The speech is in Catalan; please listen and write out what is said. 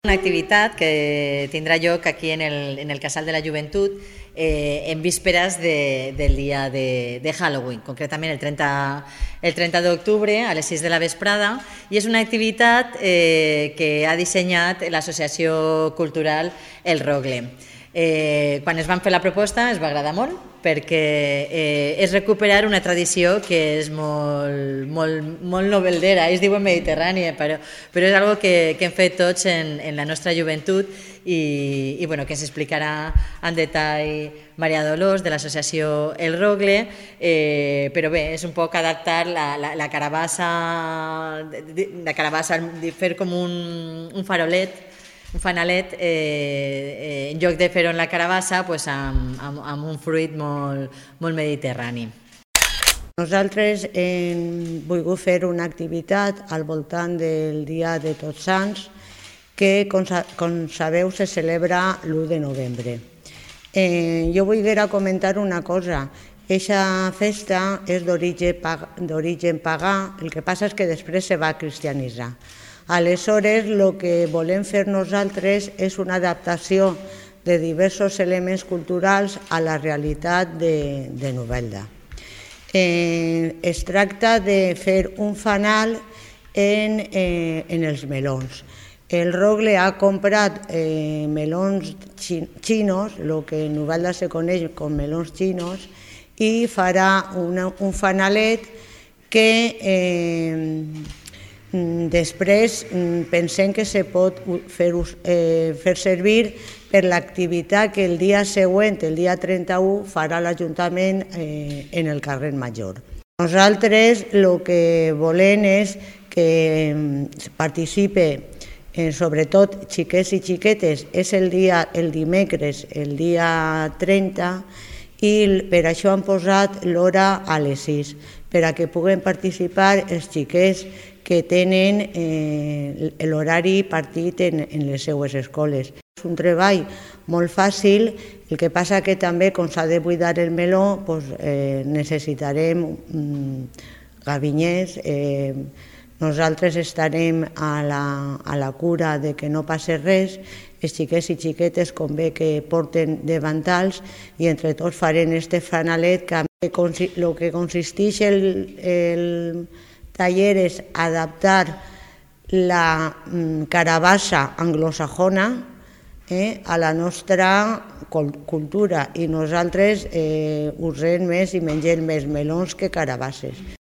Una activitat que tindrà lloc aquí en el Casal de la Joventut en vísperes del dia de Halloween, concretament el 30 d'octubre a les 6 de la vesprada, i és una activitat que ha dissenyat l'Associació Cultural El Rogle. Quan es van fer la proposta ens va agradar molt perquè és recuperar una tradició que és molt noveldera, ells diuen mediterrània, però és algo que hem fet tots en la nostra joventut i que ens explicarà en detall Maria Dolors de l'associació El Rogle, però bé, és un poc adaptar la carabassa, fer com un farolet, un fanalet, en lloc de fer-ho en la carabassa, amb un fruit molt mediterrani. Nosaltres hem volgut fer una activitat al voltant del Dia de Tots Sants, que, com sabeu, se celebra l'1 de novembre. Jo vull comentar una cosa. Aquesta festa és d'origen pagà, el que passa és que després se va cristianitzar. Aleshores, el que volem fer nosaltres és una adaptació de diversos elements culturals a la realitat de Novelda. Es tracta de fer un fanal en els melons. El Rogle ha comprat melons xinos, el que en Novelda se coneix com melons xinos, i farà un fanalet que després pensem que se pot fer servir per l'activitat que el dia següent, el dia 31, farà l'Ajuntament en el carrer Major. Nosaltres el que volem és que participe sobretot xiquets i xiquetes. És el dimecres, el dia 30, i per això han posat l'hora a les 6, per a que puguen participar els xiquets que tenen l'horari partit en les seues escoles. És un treball molt fàcil, el que passa que també, com s'ha de buidar el meló, necessitarem gabinyers. Nosaltres estarem a la cura de que no passi res. Els xiquets i xiquetes convé que porten davantals i entre tots farem este fanalet que el que consisteix el taller és adaptar la carabassa anglosajona a la nostra cultura, i nosaltres usem més i mengem més melons que carabasses.